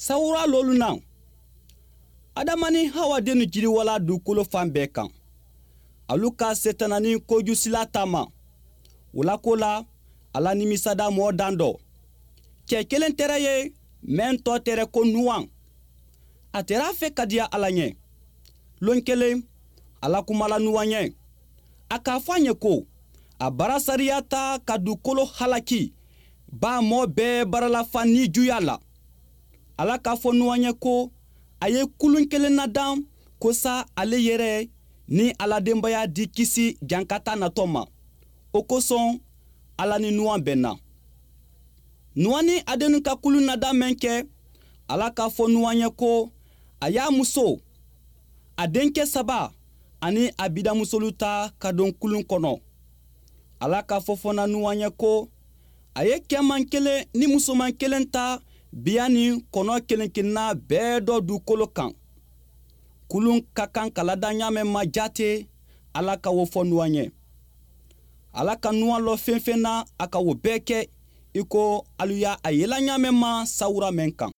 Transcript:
Sawura lolu na, Adama ni Hawa dennu jiriwala dugukolo fan bɛɛ kan. Alu ka Setana ni kojusila taama. O la ko la, Ala nimisada mɔɔ dan dɔ. Cɛ kelen tɛrɛ ye mɛn tɔ tɛrɛ ko Nuwan. A tɛrɛ a fɛ ka diya Ala ɲɛ. Lon kelen, Ala kumala Nuwan ɲɛ. A k'a fɔ a ɲɛ ko a bara sariya ta ka dugukolo halaki ba mɔɔ bɛɛ bara lafa nijuya la. Ala k'a fɔ Nuwan ɲɛ ko a ye kulun kelen nadan kosa ale yɛrɛ ni a la denbaya di kisi jankata natɔ ma. O kosɔn, Ala ni Nuwan bɛnna. Nuwan ni a dennu ka kulun nadan mɛn kɛ, Ala k'a fɔ Nuwan ɲɛ ko a y'a muso, a denkɛ saba ani a bidamusolu ta ka don kulun kɔnɔ. Ala k'a fɔ fana Nuwan ɲɛ ko a ye cɛman kelen ni musoman kelen ta biya ni kɔnɔ kelen kelenna bɛɛ dɔ dugukolo kan. Kulun ka kan ka ladan ɲa mɛn ma jate, Ala ka wo fɔ Nuwan ɲɛ. Ala ka Nuwan lɔ fɛn fɛn na, a ka wo bɛɛ kɛ i ko alu y'a yela ɲa mɛn ma sawura mɛn kan.